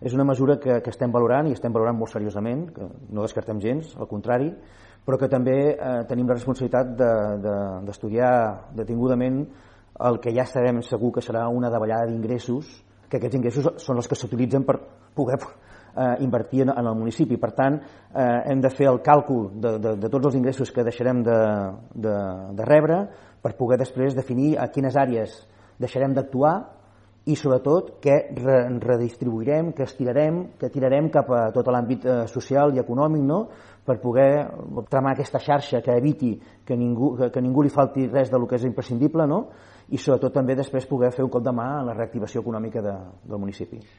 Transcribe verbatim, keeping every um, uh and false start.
és una mesura que, que estem valorant i estem valorant molt seriosament, que no descartem gens, al contrari, però que també eh, tenim la responsabilitat d'estudiar de, de, detingudament el que ja sabem segur que serà una davallada d'ingressos, que aquests ingressos són els que s'utilitzen per poder eh, invertir en, en el municipi. Per tant, eh, hem de fer el càlcul de, de, de tots els ingressos que deixarem de, de, de rebre per poder després definir a quines àrees deixarem d'actuar i sobretot què redistribuirem, què estirarem, què tirarem cap a tot l'àmbit eh, social i econòmic, no? Per poder tramar aquesta xarxa que eviti que ningú, que, que ningú li falti res del que és imprescindible, no? I sobretot també després poder fer un cop de mà en la reactivació econòmica de, del municipi.